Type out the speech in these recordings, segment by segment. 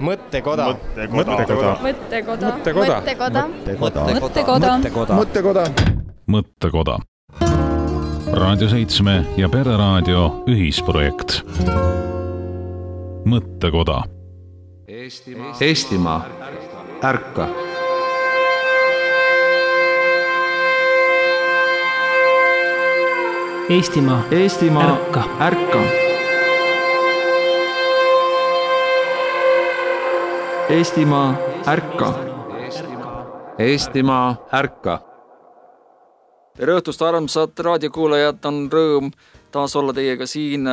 Mõttekoda. Raadio 7 ja Pereraadio ühisprojekt. Mõttekoda. Eestimaa, ärka! Eestimaa, ärka! Eestimaa, ärka! Eestimaa, ärka! Tere õhtust, armsad raadiokuulajad, on rõõm taas olla teiega siin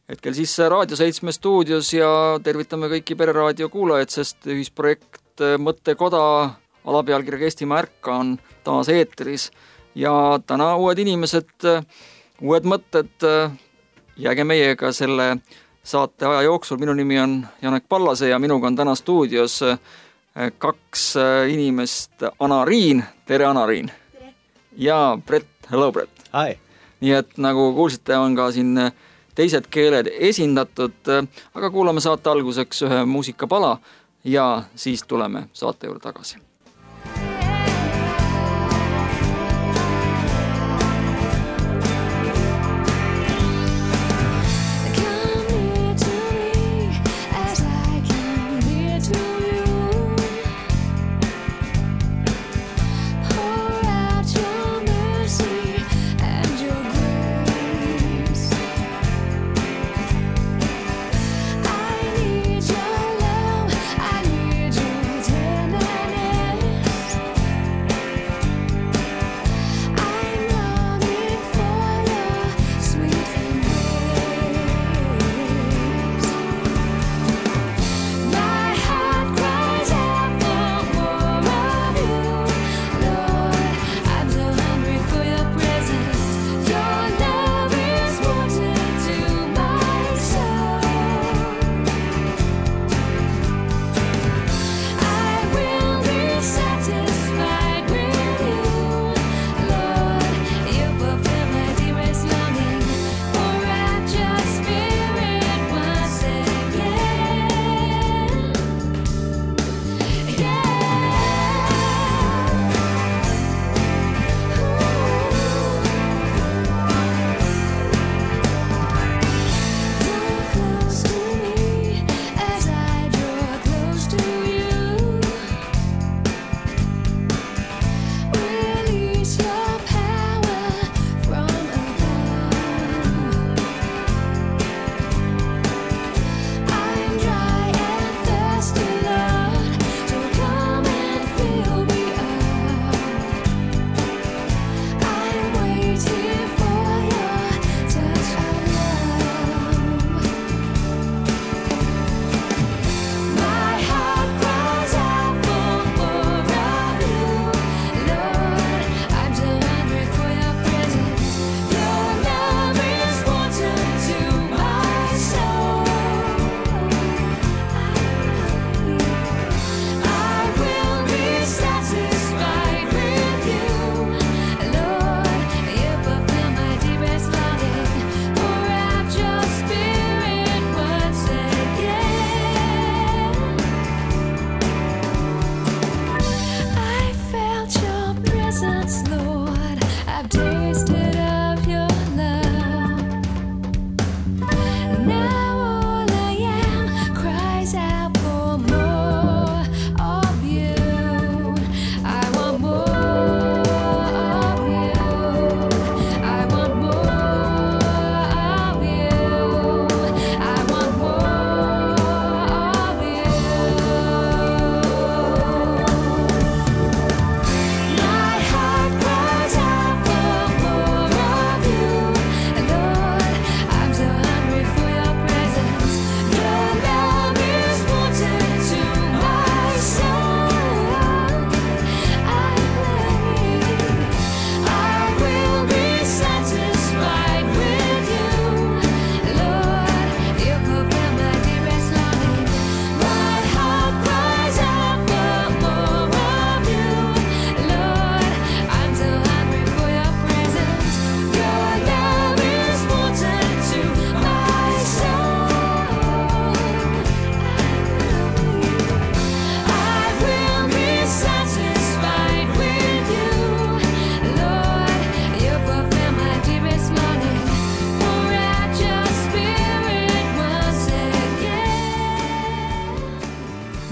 hetkel siis Raadio 7 stuudios ja tervitame kõiki Pereraadio kuulajaid, sest ühisprojekt Mõttekoda alapealkirjaga Eestimaa ärka on taas eetris ja täna uued inimesed, uued mõtted, jääge meiega selle saate aja jooksul. Minu nimi on Janek Pallase ja minuga on täna stuudios kaks inimest, Anariin, tere Anariin! Ja Brett, hello Brett! Hi! Nii et nagu kuulsite, on ka siin teised keeled esindatud, aga kuulame saate alguseks ühe muusikapala ja siis tuleme saate juurde tagasi. I need your love, I need your tenderness.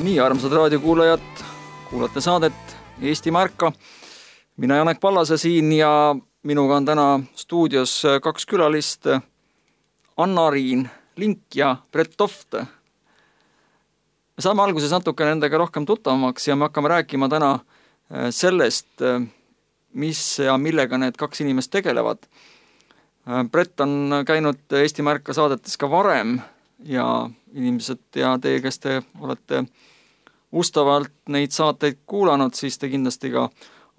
Nii, armsad raadiokuulajad, kuulate saadet Eestimaa ärka. Mina Janek Pallase siin ja minuga on täna stuudios kaks külalist, Anna-Riin Link ja Brett Toft. Me saame alguses natuke nendega rohkem tuttavamaks ja me hakkame rääkima täna sellest, mis ja millega need kaks inimest tegelevad. Brett on käinud Eestimaa ärka saadetes ka varem ja inimesed ja teie, kes te olete ustavalt neid saateid kuulanud, siis te kindlasti ka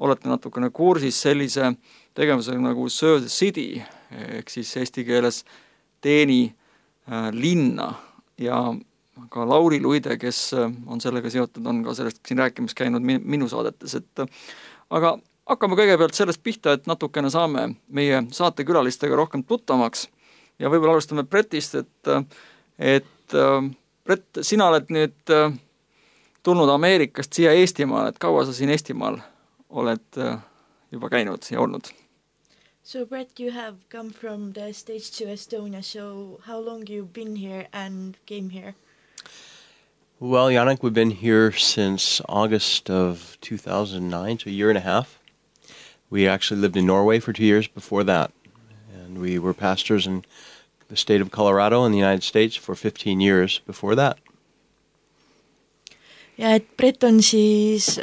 olete natukene kursis sellise tegevusega nagu Serve the City, ehk siis eesti keeles teeni linna. Ja ka Lauri Luide, kes on sellega seotud, on ka sellest siin rääkimas käinud minu saadetes. Aga hakkame kõigepealt sellest pihta, et natukene saame meie saatekülalistega rohkem tuttavamaks. Ja võib-olla alustame Brettist, et Brett, sina oled nüüd tulnud Ameerikast siia Eestimaal, et kaua sa siin Eestimaal oled juba käinud ja olnud? So Brett, you have come from the States to Estonia, so how long you've been here and came here? Well, Janek, we've been here since August of 2009, so a year and a half. We actually lived in Norway for 2 years before that, and we were pastors in the state of Colorado in the United States for 15 years before that. Ja et Brett on siis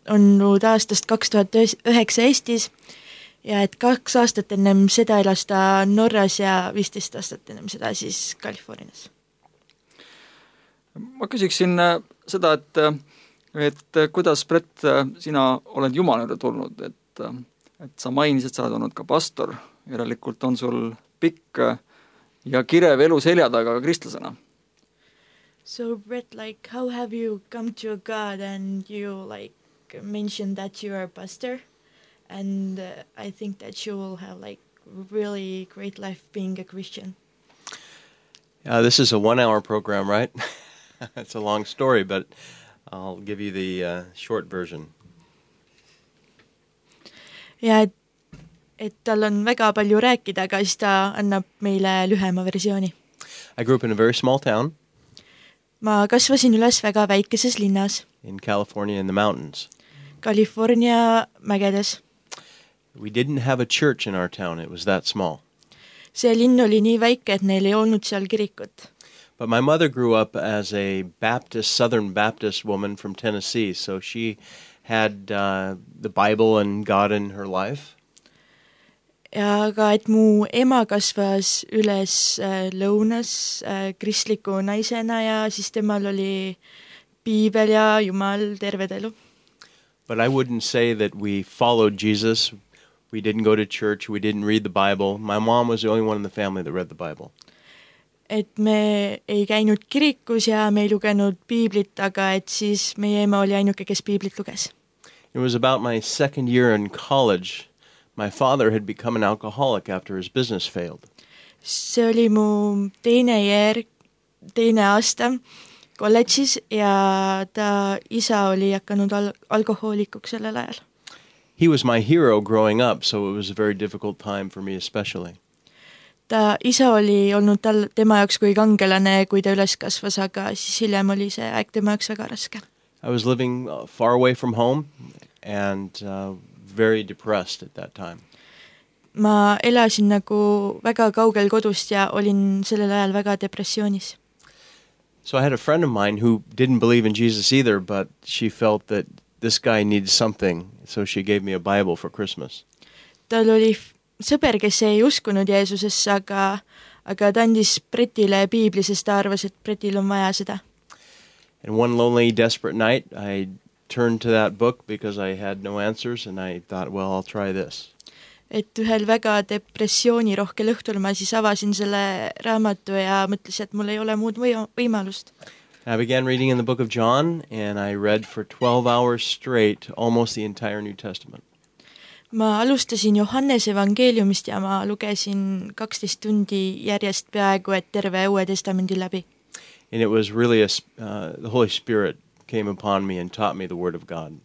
olnud aastast 2009 Eestis ja et 2 aastat ennem seda elas ta Norras ja 15 aastat ennem seda siis Californias. Ma küsiksin seda, et kuidas, Brett, sina oled Jumala juurde tulnud, et sa mainisid, sa oled olnud ka pastor, järelikult on sul pikk ja kirev elu selja taga kristlasena. So Brett, like, how have you come to God and you like mentioned that you are a pastor and I think that you will have like really great life being a Christian. This is a 1-hour program, right? It's a long story, but I'll give you the short version. Ja et tal on väga palju rääkida, aga siis ta annab meile lühema versiooni. I grew up in a very small town. Ma kasvasin üles väga väikeses linnas. In California in the mountains. California mägedes. We didn't have a church in our town. It was that small. See linn oli nii väike, et neil ei olnud seal kirikut. But my mother grew up as a Southern Baptist woman from Tennessee, so she had the Bible and God in her life. Ja aga et mu ema kasvas üles lõunas kristliku naisena ja siis temal oli piibel ja Jumal terve elu. But I wouldn't say that we followed Jesus. We didn't go to church. We didn't read the Bible. My mom was the only one in the family that read the Bible. Et me ei käinud kirikus ja me ei lugenud piiblit, aga et siis meie ema oli ainuke, kes piiblit luges. It was about my second year in college. My father had become an alcoholic after his business failed. See oli mu teine aasta kolledžis ja ta isa oli hakanud alkohoolikuks sellel ajal. He was my hero growing up, so it was a very difficult time for me especially. Ta isa oli olnud tema jaoks kui kangelane, kui ta üles kasvas, aga siis hiljem oli see aeg tema jaoks väga raske. I was living far away from home and very depressed at that time. Ma elasin nagu väga kaugel kodust ja olin sellel ajal väga depressioonis. So I had a friend of mine who didn't believe in Jesus either, but she felt that this guy needs something, so she gave me a Bible for Christmas. Tal oli sõber, kes ei uskunud Jeesusesse, aga ta andis Brettile piibli, sest ta arvas, et Brettil on vaja seda. And one lonely, desperate night, I turned to that book because I had no answers and I thought, well, I'll try this. Et ühel väga depressioonirohkel õhtul ma siis avasin selle raamatu ja mõtlesin, et mul ei ole muud võimalust. I began reading in the book of John and I read for 12 hours straight almost the entire New Testament. Ma alustasin Johannese evangeeliumist ja ma lugesin 12 tundi järjest peaaegu, et terve Uue Testamendi läbi. And it was really the Holy Spirit came upon me and taught me the Word of God.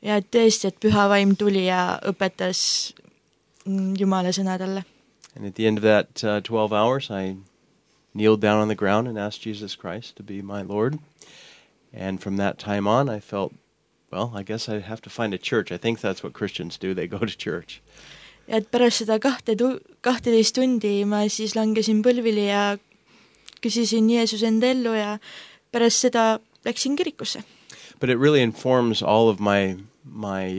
Ja tõesti, et Püha Vaim tuli ja õpetas Jumala sõna talle. And at the end of that 12 hours, I kneeled down on the ground and asked Jesus Christ to be my Lord. And from that time on, I felt, well, I guess I have to find a church. I think that's what Christians do. They go to church. Ja et pärast seda 12 tundi ma siis langesin põlvili ja küsisin Jeesus enda ellu ja pärast seda läksin kirikusse. But it really informs all of my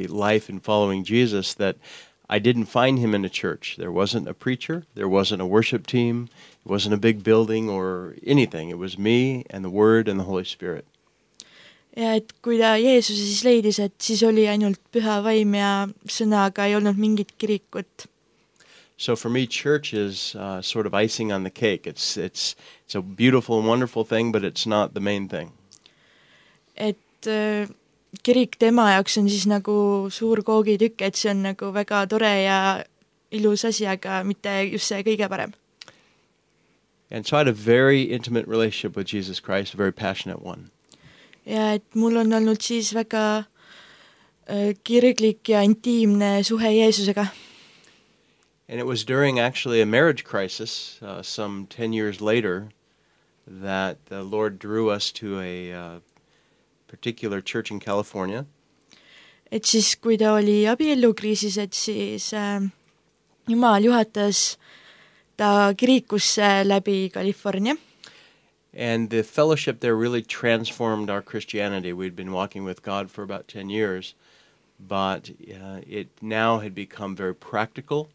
life in following Jesus that I didn't find him in a church. There wasn't a preacher. There wasn't a worship team. It wasn't a big building or anything. It was me and the Word and the Holy Spirit. Ja et kui ta Jeesuse siis leidis, et siis oli ainult püha vaim ja sõnaga ei olnud mingit kirikut. So for me, church is sort of icing on the cake. It's a beautiful and wonderful thing, but it's not the main thing. Et kirik tema jaoks on siis nagu suur koogitükk, et see on nagu väga tore ja ilus asi, aga mitte just see kõige parem. And so I had a very intimate relationship with Jesus Christ, a very passionate one. Ja et mul on olnud siis väga kirglik ja intiimne suhe Jeesusega. And it was during actually a marriage crisis, some 10 years later, that the Lord drew us to a particular church in California. Et siis, kui ta oli abiellukriisis, et siis Jumal juhatas ta kirikusse läbi California. And the fellowship there really transformed our Christianity. We'd been walking with God for about 10 years, but it now had become very practical,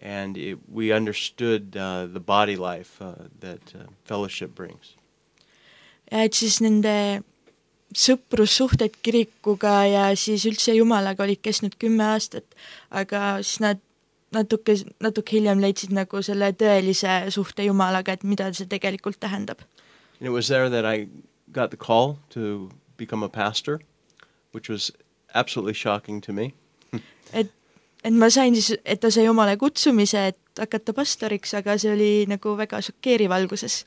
and we understood the body life that fellowship brings. Ja et siis nende sõprussuhted kirikuga ja siis üldse Jumalaga olid kestnud 10 aastat, aga siis nad natuke hiljem leidsid nagu selle tõelise suhte Jumalaga, et mida see tegelikult tähendab. And it was there that I got the call to become a pastor, which was absolutely shocking to me. Et ma sain siis, et ta sai Jumala kutsumise, et hakata pastoriks, aga see oli nagu väga šokeeriv alguses.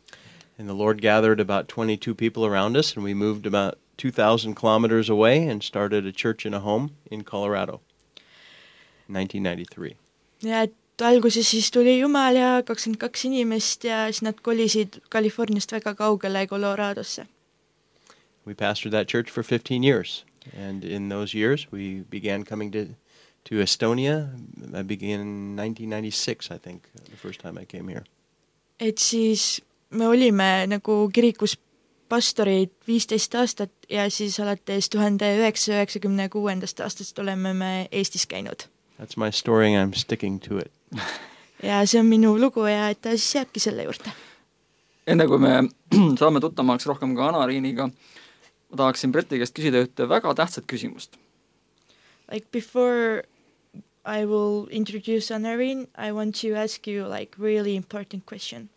And the Lord gathered about 22 people around us, and we moved about 2,000 kilometers away and started a church in a home in Colorado, 1993. Ja et alguses siis tuli Jumal ja 22 inimest ja siis nad kolisid Californiast väga kaugele Coloradosse. We pastored that church for 15 years, and in those years we began coming to Estonia. I began in 1996, I think, the first time I came here. Et siis me olime nagu kirikus pastorid 15 aastat ja siis alates 1996. aastast oleme me Eestis käinud. That's my story and I'm sticking to it. Ja see on minu lugu ja et ta siis jääbki selle juurde. Enne kui me saame tuttavamaks rohkem ka Anariiniga, ma tahaksin Breti käest küsida ühte väga tähtsat küsimust. Like before I will introduce Anariin, I want to ask you like really important question.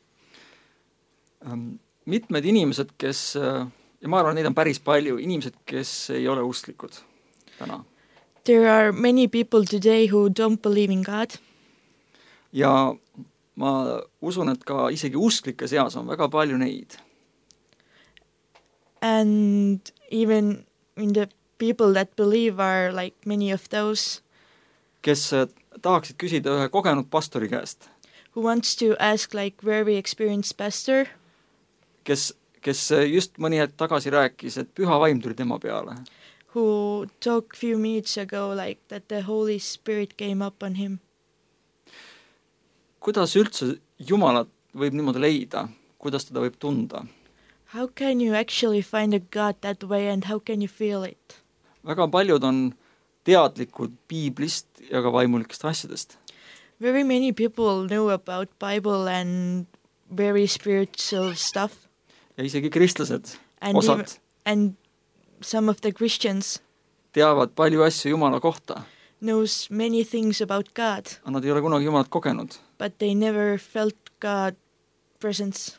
Mitmed inimesed, kes, ja ma arvan, neid on päris palju, inimesed, kes ei ole usklikud täna. There are many people today who don't believe in God. Ja ma usun, et ka isegi usklike seas on väga palju neid. And even in the people that believe are like many of those kes tahaksid küsida ühe kogenud pastori käest. Who wants to ask like very experienced pastor. Kes just mõni hetk tagasi rääkis, et püha vaim tuli tema peale. Who talked few minutes ago like that the Holy Spirit came up on him. Kuidas üldse Jumalat võib niimoodi leida? Kuidas teda võib tunda? How can you actually find a God that way and how can you feel it? Väga paljud on teadlikud piiblist ja ka vaimulikest asjadest. Very many people know about Bible and very spiritual stuff. Ja isegi kristlased, and osad. And some of the Christians teavad palju asju Jumala kohta. Knows many things about God. Nad ei ole kunagi Jumalat kogenud. But they never felt God presence.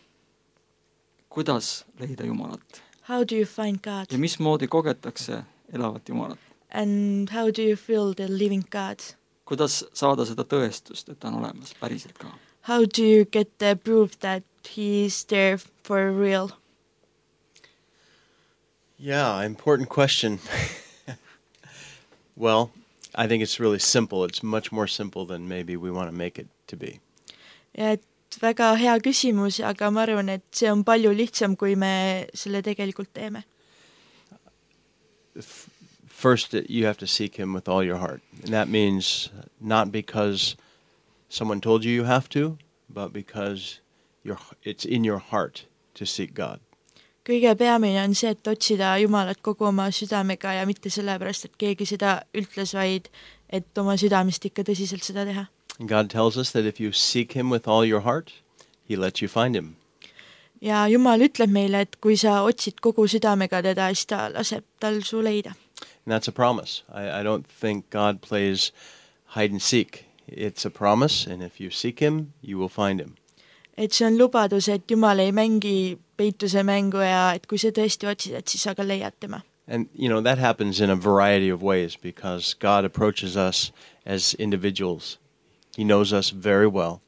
Kuidas leida Jumalat? How do you find God? Ja mismoodi kogetakse elavat Jumalat? And how do you feel the living God? Kuidas saada seda tõestust, et ta on olemas päriselt ka? How do you get the proof that he is there for real? Yeah, important question. Well, I think it's really simple. It's much more simple than maybe we want to make it to be. Ja et väga hea küsimus, aga ma arvan, et see on palju lihtsam, kui me selle tegelikult teeme. first you have to seek him with all your heart. And that means not because someone told you have to, but because it's in your heart to seek God. Kõige peamine on see, et otsida Jumalat kogu oma südamega ja mitte sellepärast, et keegi seda ütles, vaid et oma südamest ikka tõsiselt seda teha. God tells us that if you seek him with all your heart, he lets you find him. Ja Jumal ütleb meile, et kui sa otsid kogu südamega teda, siis ta laseb tal su leida. And that's a promise. I don't think God plays hide and seek. It's a promise, and if you seek him, you will find him. Et see on lubadus, et Jumal ei mängi peituse mängu ja et kui sa tõesti otsid, et siis sa ka leiad tema. And, that happens in a variety of ways because God approaches us as individuals. He knows us very well.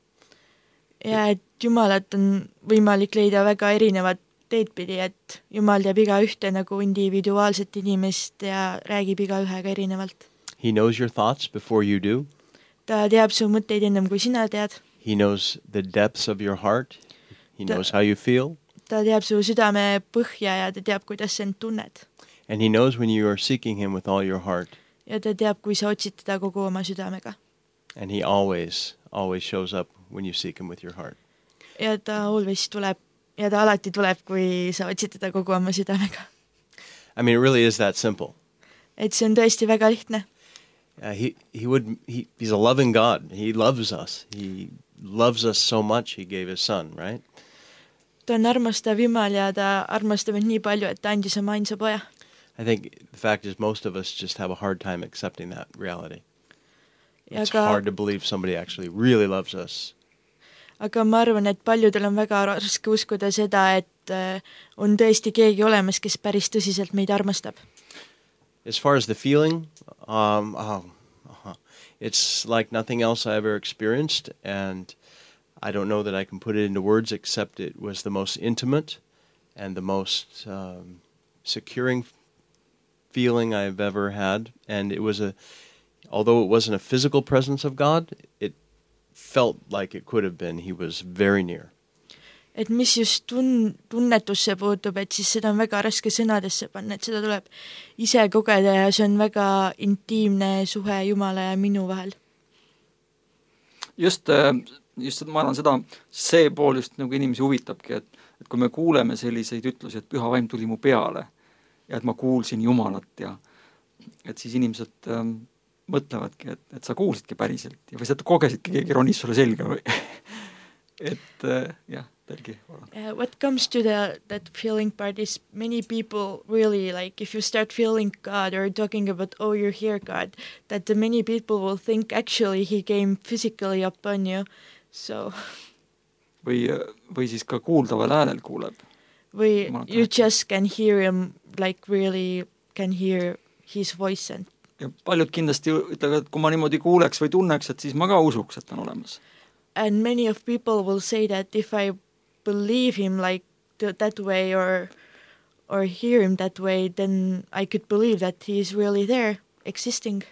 Ja et Jumalat on võimalik leida väga erinevat teed pidi, et Jumal teab iga ühte nagu individuaalset inimest ja räägib iga ühega erinevalt. He knows your thoughts before you do. Ta teab su mõtteid ennem, kui sina tead. He knows the depths of your heart. He knows how you feel. Ta teab su südame põhja ja ta teab, kuidas sa end tunned. And he knows when you are seeking him with all your heart. Ja ta teab, kui sa otsid teda kogu oma südamega. And he always shows up when you seek him with your heart. Ja ta alati tuleb, kui sa otsid teda kogu oma südamega. I mean, it really is that simple. Et see on tõesti väga lihtne. He's a loving God. He loves us. He loves us so much, he gave his son, right? Ta on armastav Jumal ja ta armastab end nii palju, et ta andis oma ainsa poja. I think the fact is most of us just have a hard time accepting that reality. Ja It's hard to believe somebody actually really loves us. Aga ma arvan, et paljudel on väga raske uskuda seda, et on tõesti keegi olemas, kes päris tõsiselt meid armastab. As far as the feeling, it's like nothing else I ever experienced, and I don't know that I can put it into words except it was the most intimate and the most securing feeling I've ever had. And it was although it wasn't a physical presence of God, it felt like it could have been. He was very near. Et mis just tunnetusse puutub, et siis seda on väga raske sõnadesse panna, et seda tuleb ise kogeda ja see on väga intiimne suhe Jumala ja minu vahel. Just ma arvan see pool just nagu inimesi huvitabki, et kui me kuuleme selliseid ütlusi, et püha vaim tuli mu peale ja et ma kuulsin Jumalat ja et siis inimesed mõtlevadki, et sa kuulsidki päriselt ja või sa kogesidki, keegi ronis sulle selga või et jah. What comes to that feeling part is many people really, like, if you start feeling God or talking about, oh, you're here, God, that many people will think actually he came physically upon you, so... Või siis ka kuuldaval äänel kuuleb. Või you just can hear him, like really can hear his voice. Ja paljud kindlasti ütlevad, et kui ma niimoodi kuuleks või tunneks, et siis ma ka usuks, et on olemas. And many of people will say that if I believe him like that way or hear him that way, then I could believe that he is really there, existing.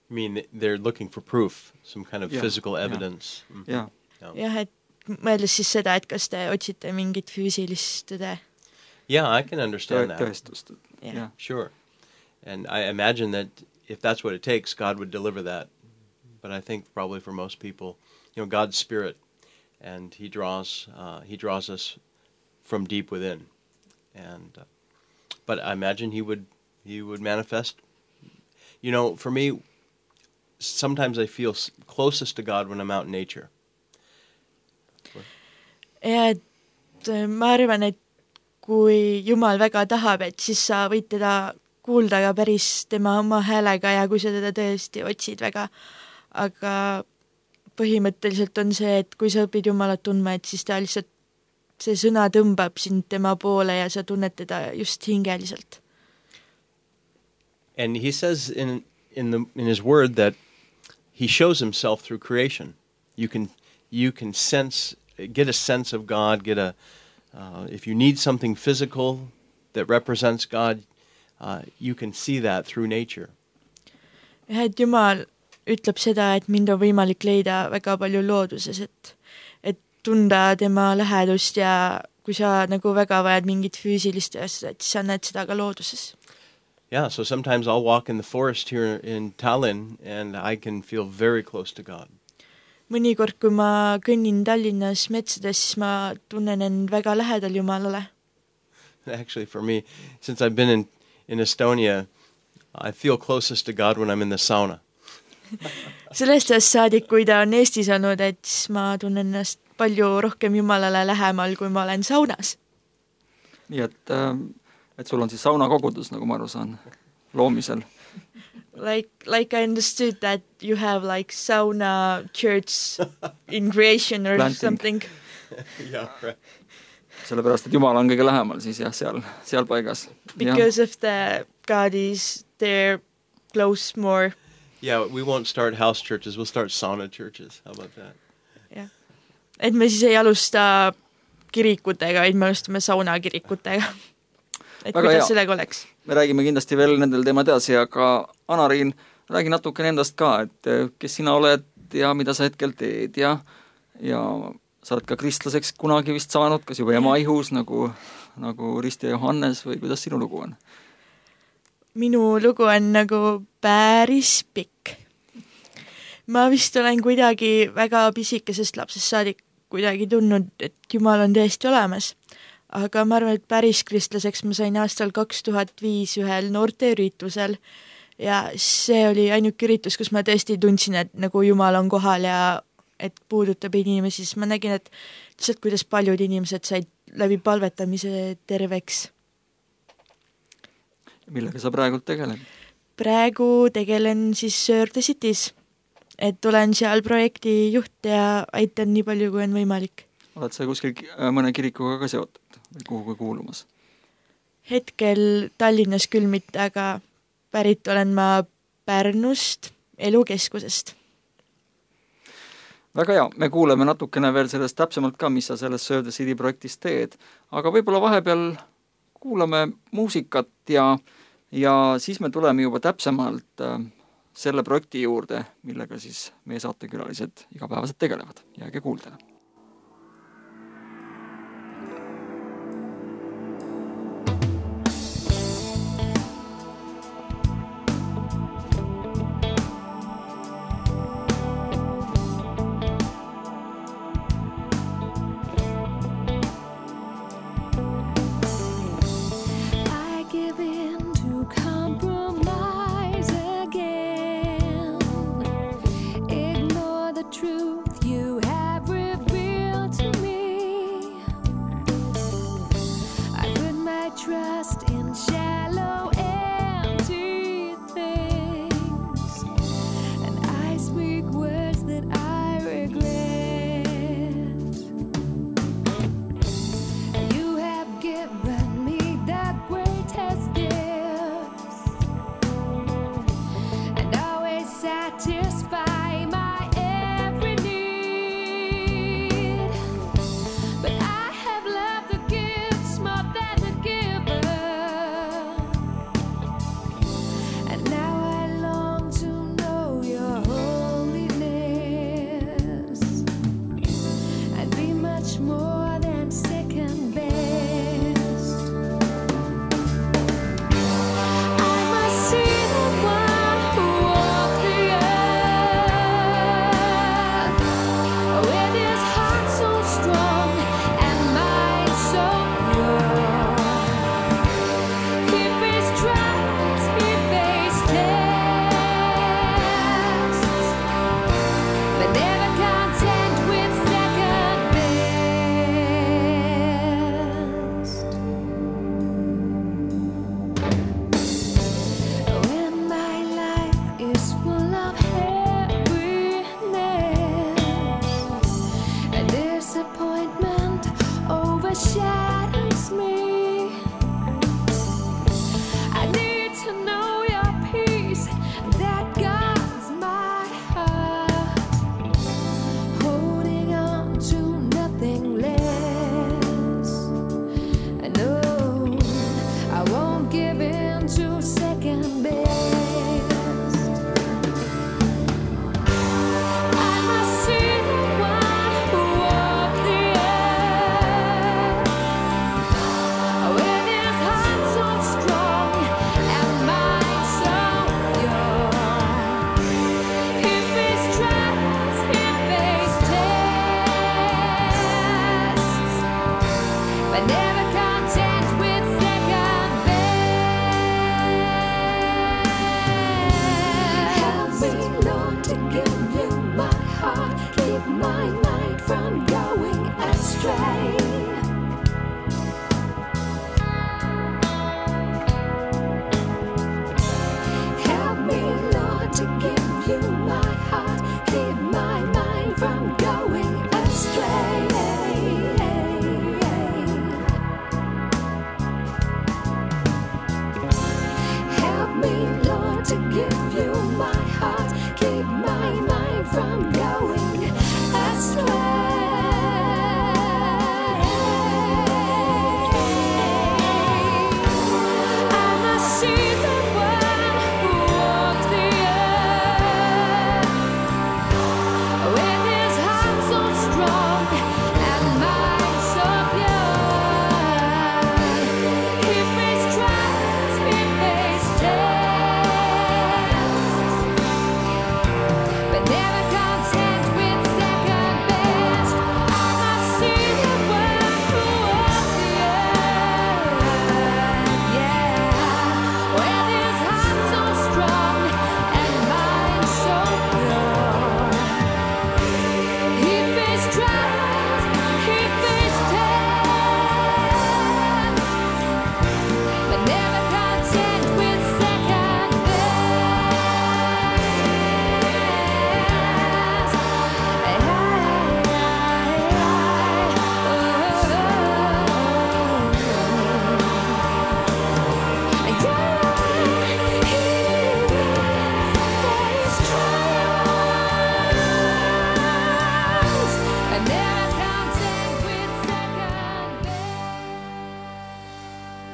I mean, they're looking for proof, some kind of physical evidence. Yeah. Jah, et mõeldes siis seda, et kas te otsite mingit füüsilist tõde. Yeah, I can understand that. Tõestust. Yeah. Sure. And I imagine that if that's what it takes, God would deliver that. But I think probably for most people, God's Spirit, and he draws us from deep within, and but I imagine he would manifest. For me, sometimes I feel closest to God when I'm out in nature. Ja et ma arvan, et kui Jumal väga tahab, et siis sa võid teda kuulda ka päris tema oma häälega ja kui sa teda tõesti otsid väga, aga põhimõtteliselt on see, et kui sa õpid Jumalat tundma, et siis ta lihtsalt, see sõna tõmbab sind tema poole ja sa tunned teda just hingeliselt. And he says in his word that he shows himself through creation. You can get a sense of God, if you need something physical that represents God, you can see that through nature. Ja et Jumal ütleb seda, et mind on võimalik leida väga palju looduses, et tunda tema lähedust ja kui sa nagu väga vajad mingit füüsilist asja, et siis sa näed seda ka looduses. Yeah, so sometimes I'll walk in the forest here in Tallinn and I can feel very close to God. Mõnikord, kui ma kõnnin Tallinnas metsades, siis ma tunnen end väga lähedal Jumalale. Actually, for me, since I've been in Estonia, I feel closest to God when I'm in the sauna. Sellest ajast saadik, kui ta on Eestis olnud, et siis ma tunnen ennast palju rohkem Jumalale lähemal, kui ma olen saunas. Nii et sul on siis saunakogudus, nagu ma aru saan, loomisel. Like I understood that you have like sauna church in creation or Planting. something. Yeah, right. Sellepärast, et Jumal on kõige lähemal siis jah, seal paigas. Because of the God is there close more. Yeah, we won't start house churches, we'll start sauna churches. How about that? Yeah. Et me siis ei alusta kirikutega, vaid me alustame saunakirikutega. Et Väga kuidas hea. sellega oleks? Me räägime kindlasti veel nendel teemad edasi, aga Anariin, räägi natukene endast ka, et kes sina oled ja mida sa hetkel teed ja sa oled ka kristlaseks kunagi vist saanud, kas juba ema ihus nagu Risti ja Johannes või kuidas sinu lugu on? Minu lugu on nagu päris pikk. Ma vist olen kuidagi väga pisikesest lapsest saadik kuidagi tundnud, et Jumal on tõesti olemas. Aga ma arvan, et päris kristlaseks ma sain aastal 2005 ühel noorteüritusel ja see oli ainuke üritus, kus ma tõesti tundsin, et nagu Jumal on kohal ja et puudutab inimesi, siis ma nägin, et lihtsalt kuidas paljud inimesed said läbi palvetamise terveks. Millega sa praegu tegeled? Praegu tegelen siis Sir the Cities, et olen seal projekti juht ja aitan nii palju, kui on võimalik. Oled sa kuskil mõne kirikuga ka seotud või kuhuga kuulumas? Hetkel Tallinnas küll mitte, aga pärit olen ma Pärnust, elukeskusest. Väga hea, me kuuleme natukene veel sellest täpsemalt ka, mis sa selles Serve the City projektis teed, aga võib-olla vahepeal kuulame muusikat ja siis me tuleme juba täpsemalt selle projekti juurde, millega siis meie saatekülalised igapäevaselt tegelevad. Jääge kuuldele. But I have loved the gifts more than the giver. want to give you my heart, keep my mind from going astray.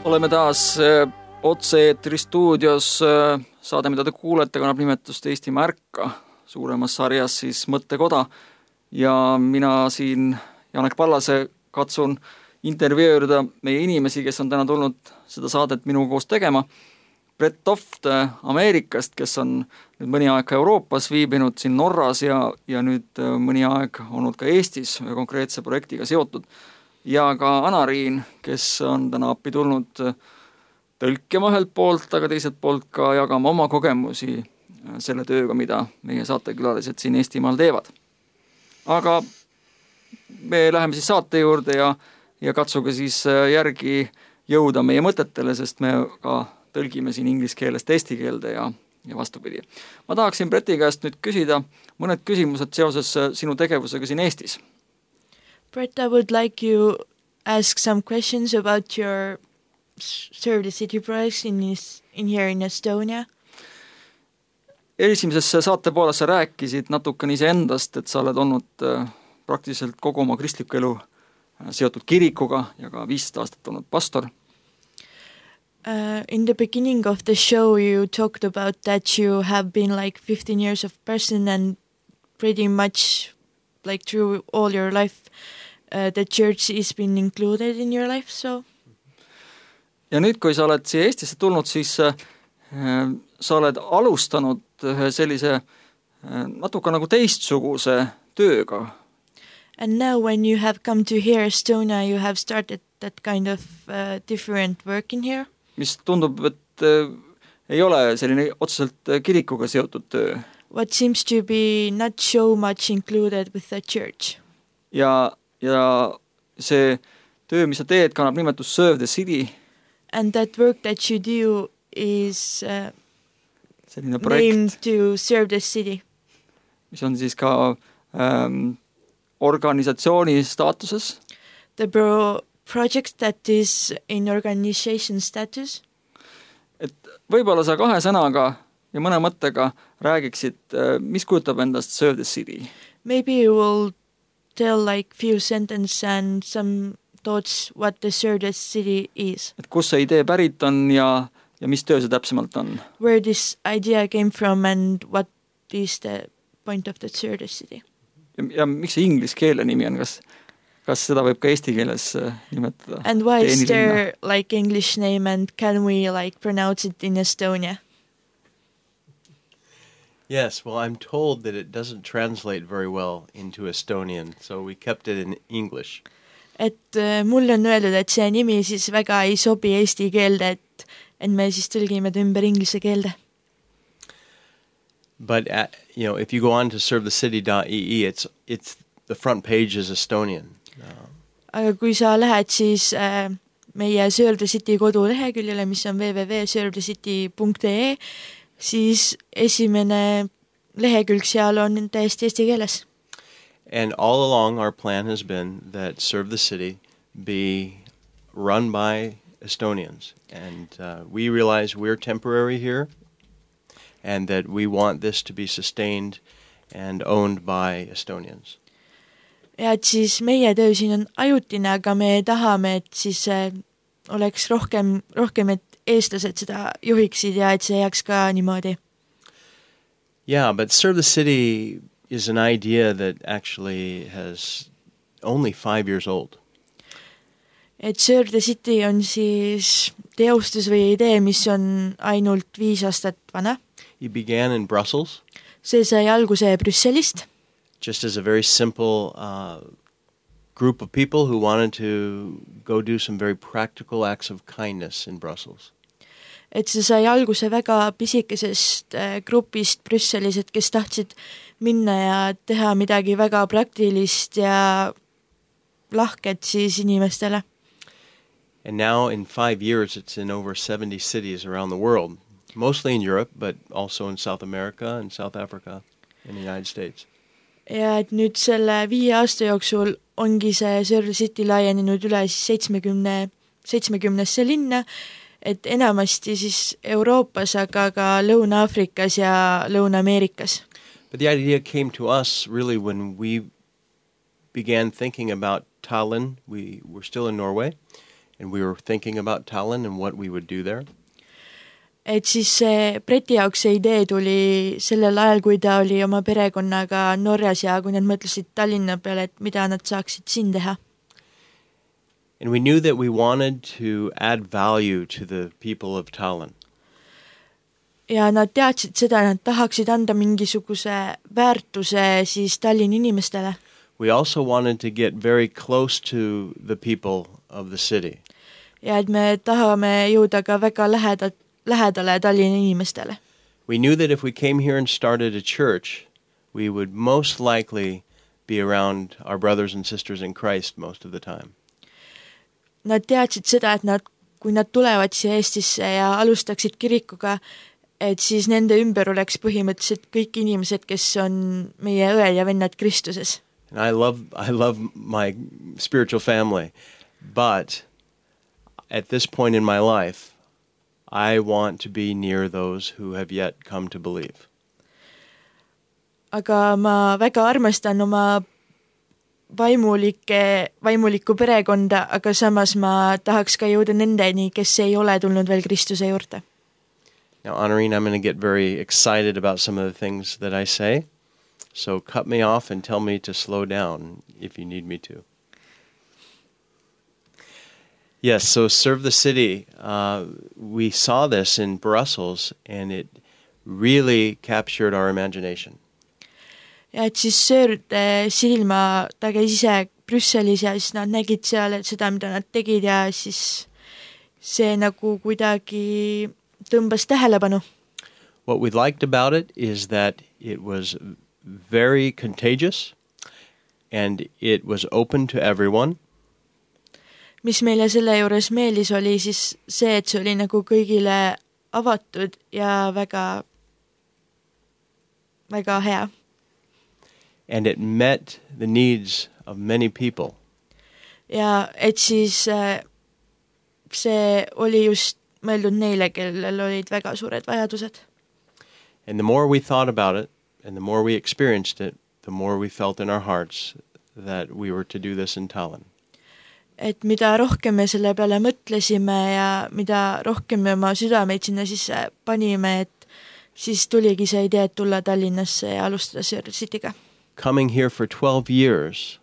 Oleme taas otse-eetri stuudios. Saade, mida te kuulete, kannab nimetust Eestimaa Ärka, suuremas sarjas siis Mõttekoda. Ja mina siin, Janek Pallase, katsun intervjueerida meie inimesi, kes on täna tulnud seda saadet minuga koos tegema. Brett Toft Ameerikast, kes on nüüd mõni aeg Euroopas viibinud siin Norras ja nüüd mõni aeg olnud ka Eestis konkreetse projektiga seotud. Ja ka Anariin, kes on täna appi tulnud tõlkima ühelt poolt, aga teiselt poolt ka jagama oma kogemusi selle tööga, mida meie saatekülalised siin Eestimaal teevad. Aga me läheme siis saate juurde ja katsuge siis järgi jõuda meie mõtetele, sest me ka tõlgime siin inglise keelest eesti keelde ja vastupidi. Ma tahaksin Bretti käest nüüd küsida mõned küsimused seoses sinu tegevusega siin Eestis. Brett, I would like you ask some questions about your Serve the City projects in here in Estonia. Esimeses saate pooles sa rääkisid natukene iseendast, et sa oled olnud praktiliselt kogu oma kristliku elu seotud kirikuga ja ka 15 aastat olnud pastor. In the beginning of the show you talked about that you have been like 15 years of person and pretty much like through all your life the church is been included in your life, so? Ja nüüd, kui sa oled siia Eestisse tulnud, siis sa oled alustanud ühe sellise natuke nagu teistsuguse tööga. And now when you have come to here Estonia, you have started that kind of different work in here? Mis tundub, et ei ole selline otseselt kirikuga seotud töö. What seems to be not so much included with the church. Ja see töö, mis sa teed, kannab nimetust Serve the City. And that work that you do is named to Serve the City. Mis on siis ka organisatsiooni staatuses. The project that is in organization status. Et võib-olla sa 2 sõnaga ja mõne mõttega räägiksid, mis kujutab endast Serve the City? Maybe you will tell like few sentences and some thoughts what the Serve the City is. Et kus see idee pärit on ja mis töö see täpsemalt on? Where this idea came from and what is the point of the Serve the City? Ja miks see inglise keele nimi on? Kas seda võib ka eesti keeles nimetada? And why is there like English name and can we like pronounce it in Estonia? Yes, well, I'm told that it doesn't translate very well into Estonian, so we kept it in English. Et mulle on öeldud, et see nimi siis väga ei sobi eesti keelde, et me siis tõlgime ta ümber inglise keelde. But if you go on to servethecity.ee, it's the front page is Estonian. Aga kui sa lähed siis meie Serve the City koduleheküljele, mis on www.servethecity.ee, siis esimene lehekülg seal on täiesti eesti keeles. And all along our plan has been that Serve the City be run by Estonians. And we realize we're temporary here. and that we want this to be sustained and owned by Estonians. ja et siis meie töö siin on ajutine, aga me tahame, et siis oleks rohkem, et eestlased seda juhiksid ja et see jääks ka niimoodi. Yeah, but Serve the City is an idea that actually has only 5 years old. Et Serve the City on siis teostus või idee, mis on ainult 5 aastat vana. It began in Brussels. See sai alguse Brüsselist. Just as a very simple group of people who wanted to go do some very practical acts of kindness in Brussels. Et see sai alguse väga pisikesest grupist Brüsselis, et kes tahtsid minna ja teha midagi väga praktilist ja lahket siis inimestele. And now in 5 years it's in over 70 cities around the world, mostly in Europe, but also in South America and South Africa and the United States. Ja et nüüd selle 5 aasta jooksul ongi see Serve the City laienenud üle siis 70 linna, et enamasti siis Euroopas, aga ka Lõuna-Aafrikas ja Lõuna-Ameerikas. But the idea came to us really when we began thinking about Tallinn. We were still in Norway, and we were thinking about Tallinn and what we would do there. Et siis see Breti jaoks see idee tuli sellel ajal, kui ta oli oma perekonnaga Norras ja kui nad mõtlesid Tallinna peale, et mida nad saaksid siin teha. And we knew that we wanted to add value to the people of Tallinn. Ja nad teadsid seda, nad tahaksid anda mingisuguse väärtuse siis Tallinna inimestele. We also wanted to get very close to the people of the city. Ja et me tahame jõuda ka väga lähedale Tallinna inimestele. We knew that if we came here and started a church, we would most likely be around our brothers and sisters in Christ most of the time. Nad teadsid seda, et kui nad tulevad siia Eestisse ja alustaksid kirikuga, et siis nende ümber oleks põhimõtteliselt kõik inimesed, kes on meie õed ja vennad Kristuses. And I love my spiritual family, but at this point in my life, I want to be near those who have yet come to believe. Aga ma väga armastan oma vaimulikku perekonda, aga samas ma tahaks ka jõuda nendeni, kes ei ole tulnud veel Kristuse juurde. Now, Honorine, I'm going to get very excited about some of the things that I say, so cut me off and tell me to slow down if you need me to. Yes, so Serve the City, we saw this in Brussels, and it really captured our imagination. Ja et siis Serve the City'l ta käis ise Brüsselis ja siis nad nägid seal seda, mida nad tegid ja siis see nagu kuidagi tõmbas tähelepanu. What we liked about it is that it was very contagious and it was open to everyone. Mis meile selle juures meeldis oli siis see, et see oli nagu kõigile avatud ja väga, väga hea. And it met the needs of many people. Ja et siis see oli just mõeldud neile, kellel olid väga suured vajadused. And the more we thought about it and the more we experienced it, the more we felt in our hearts that we were to do this in Tallinn. Et mida rohkem me selle peale mõtlesime ja mida rohkem me oma südameid sinna sisse panime, et siis tuligi see idee, et tulla Tallinnasse ja alustada Serve the City'ga. Coming here for 12 years,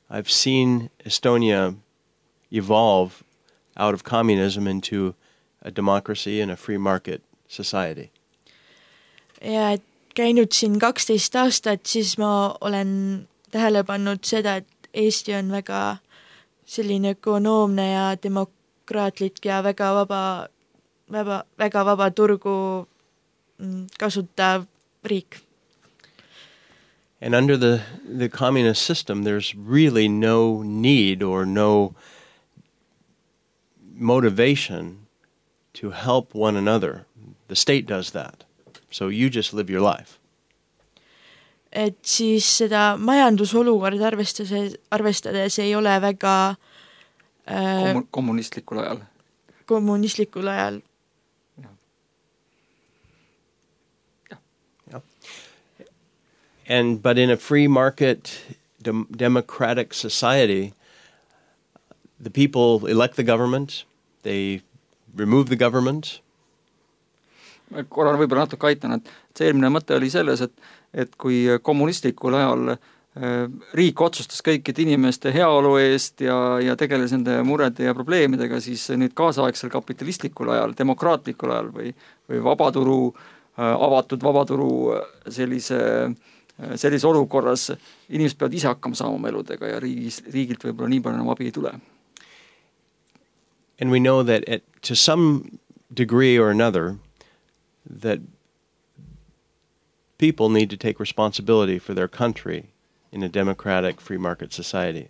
I've seen Estonia evolve out of communism into a democracy and a free market society. Ja et käinud siin 12 aastat, siis ma olen tähele pannud seda, et Eesti on väga selline ökonoomne ja demokraatlik ja väga vaba turgu kasutav riik. And under the communist system, there's really no need or no motivation to help one another. The state does that. So you just live your life. Et siis seda majandusolukorda arvestades ei ole väga kommunistlikul ajal. But in a free market, democratic society, the people elect the government, they remove the government. Korra võib-olla natuke aitan, et see eelmine mõte oli selles, et kui kommunistlikul ajal riik otsustas kõikide inimeste heaolu eest ja tegeles nende murede ja probleemidega, siis nüüd kaasaegsel kapitalistlikul ajal, demokraatlikul ajal või vabaturu, avatud vabaturu sellise olukorras inimesed peavad ise hakkama saama oma eludega ja riigilt võib-olla nii palju enam abi ei tule. And we know that to some degree or another that people need to take responsibility for their country in a democratic free market society.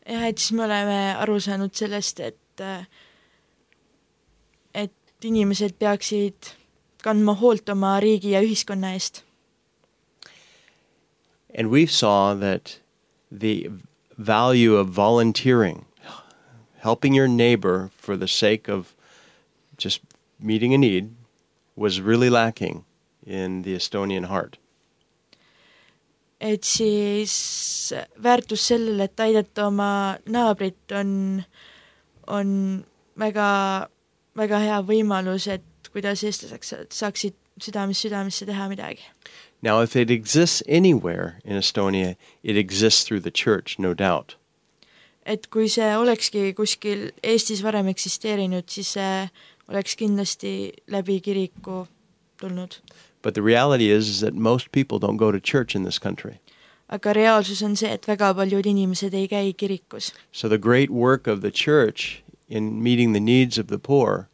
Ja, et siis me oleme aru saanud sellest, et inimesed peaksid kandma hoolt oma riigi ja ühiskonna eest. And we saw that the value of volunteering, helping your neighbor for the sake of just meeting a need, was really lacking in the Estonian heart. Et siis väärtus sellele, et aidata oma naabrit on väga, väga hea võimalus, et kuidas eestlaseks saaksid südamesse teha midagi. Now, if it exists anywhere in Estonia, it exists through the church, no doubt. Et kui see olekski kuskil Eestis varem eksisteerinud, siis see oleks kindlasti läbi kiriku tulnud. But the reality is that most people don't go to church in this country. Aga reaalsus on see, et väga paljud inimesed ei käi kirikus. So the great work of the church in meeting the needs of the poor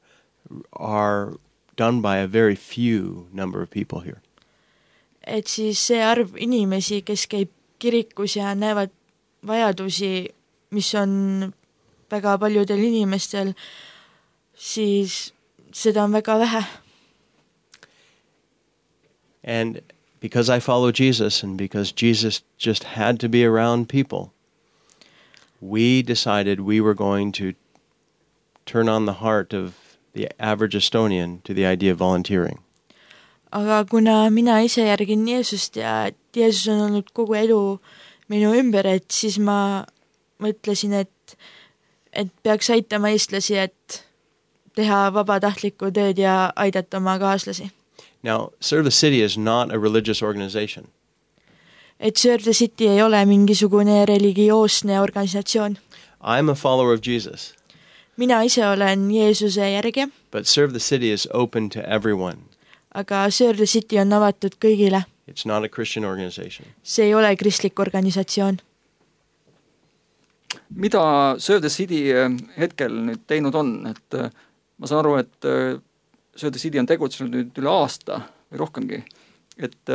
are done by a very few number of people here. Et siis see arv inimesi, kes käib kirikus ja näevad vajadusi, mis on väga paljudel inimestel, siis seda on väga vähe. And because I follow Jesus and because Jesus just had to be around people, we decided we were going to turn on the heart of the average Estonian to the idea of volunteering. Aga kuna mina ise järgin Jeesust ja Jeesus on olnud kogu elu minu ümber, et siis ma mõtlesin, et peaks aitama eestlasi, et teha vabatahtlikku tööd ja aidata oma kaaslasi. Now, Serve the City is not a religious organization. Et Serve the City ei ole mingisugune religioosne organisatsioon. I'm a follower of Jesus. Mina ise olen Jeesuse järgi. But Serve the City is open to everyone. Aga Serve the City on avatud kõigile. It's not a Christian organization. See ei ole kristlik organisatsioon. Mida Serve the City hetkel nüüd teinud on? Et ma saan aru, et Serve the City on tegutsenud nüüd üle aasta või rohkemgi. Et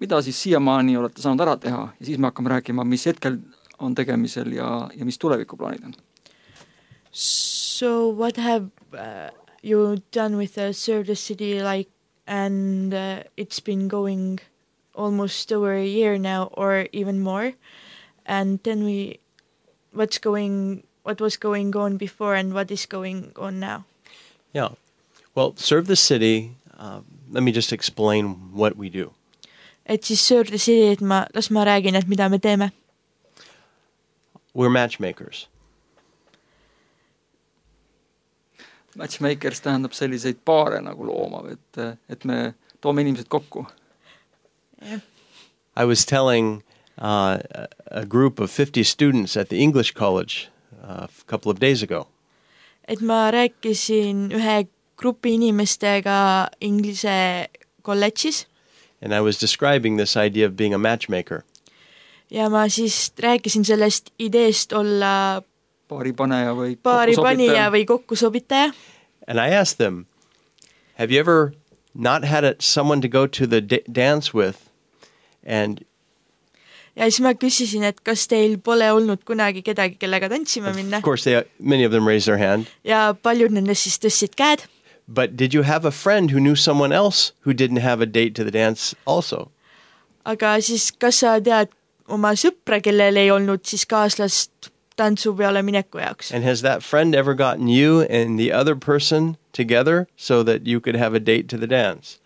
mida siis siiamaani olete saanud ära teha ja siis me hakkame rääkima, mis hetkel on tegemisel ja mis tulevikuplaanid on. So what have you done with Serve the City and it's been going almost over a year now or even more, and then what was going on before and what is going on now? Yeah. Well, Serve the City, let me just explain what we do. Et siis Serve the City, et las ma räägin, et mida me teeme. We're matchmakers. Matchmakers tähendab selliseid paare nagu looma, et me toome inimesed kokku. Yeah. I was telling a group of 50 students at the English College a couple of days ago. Et ma rääkisin ühe grupi inimestega Inglise kolledžis. And I was describing this idea of being a matchmaker. Ja ma siis rääkisin sellest ideest olla paaripanija või kokkusobitaja. And I asked them, have you ever not had someone to go to the dance with? And ja siis ma küsisin, et kas teil pole olnud kunagi kedagi, kellega tantsima minna. Of course, many of them raised their hand. Ja paljud nendest siis tõstsid käed. But did you have a friend who knew someone else who didn't have a date to the dance also? Aga siis kas sa tead oma sõpra, kellel ei olnud siis kaaslast tantsu peale mineku jaoks? And has that friend ever gotten you and the other person together so that you could have a date to the dance?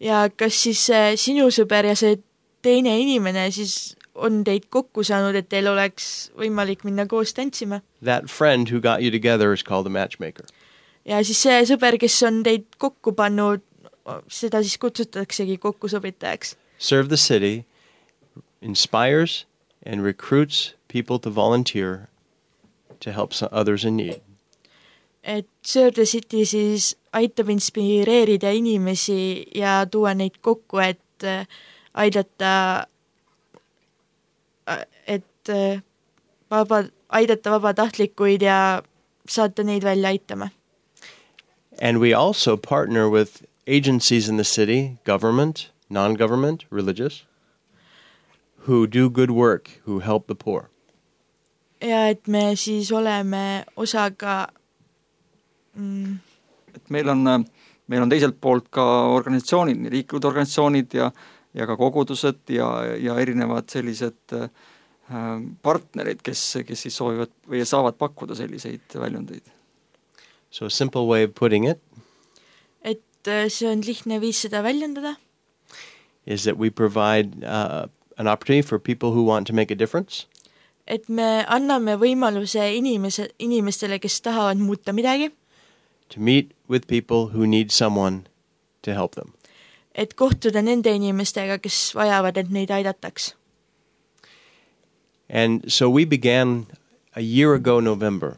ja kas siis sinu sõber ja see teine inimene siis on teid kokku saanud, et teil oleks võimalik minna koos tantsima? That friend who got you together is called a matchmaker. Ja siis see sõber, kes on teid kokku pannud, seda siis kutsutaksegi kokkusobitajaks. Serve the City inspires and recruits people to volunteer to help others in need. Et Serve the City siis aitab inspireerida inimesi ja tuua neid kokku, et aidata vabatahtlikuid ja saata neid välja aitama. And we also partner with agencies in the city, government, non-government, religious, who do good work, who help the poor. Ja et me siis oleme osaga et meil on teiselt poolt ka organisatsioonid, nii riiklikud organisatsioonid ja ka kogudused ja erinevad sellised partnerid, kes siis soovivad või saavad pakkuda selliseid väljundeid. So a simple way of putting it et see on lihtne viis seda väljendada, is that we provide an opportunity for people who want to make a difference. et me anname võimaluse inimestele, kes tahavad muuta midagi, To meet with people who need someone to help them. et kohtuda nende inimestega, kes vajavad, et neid aidataks. And so we began a year ago November,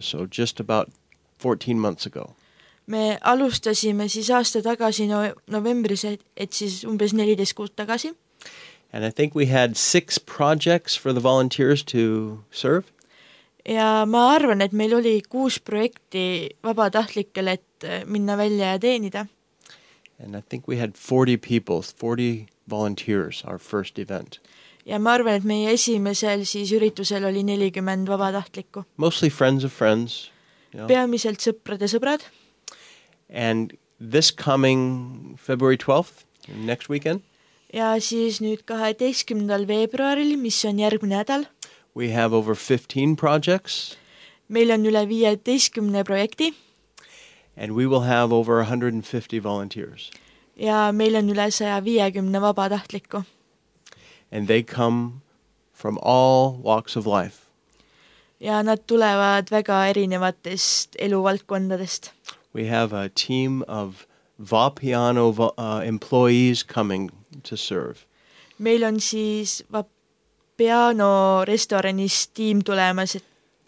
so just about 14 months ago. Me alustasime siis aasta tagasi novembris, et siis umbes 14 kuud tagasi. And I think we had 6 projects for the volunteers to serve. Ja ma arvan, et meil oli 6 projekti vabatahtlikele, et minna välja ja teenida. And I think we had 40 people, 40 volunteers, our first event. Ja ma arvan, et meie esimesel siis üritusel oli 40 vabatahtlikku. Mostly friends of friends. You know. Peamiselt sõprade sõbrad. And this coming February 12th, next weekend, ja siis nüüd 12. veebruaril, mis on järgmine nädal, we have over 15 projects. meil on üle 15 projekti. And we will have over 150 volunteers. Ja meil on üle 150 vabatahtlikku. And they come from all walks of life. Ja nad tulevad väga erinevatest eluvaldkondadest. We have a team of Vapiano employees coming to serve. Meil on siis Vapiano restoranis tiim tulemas, et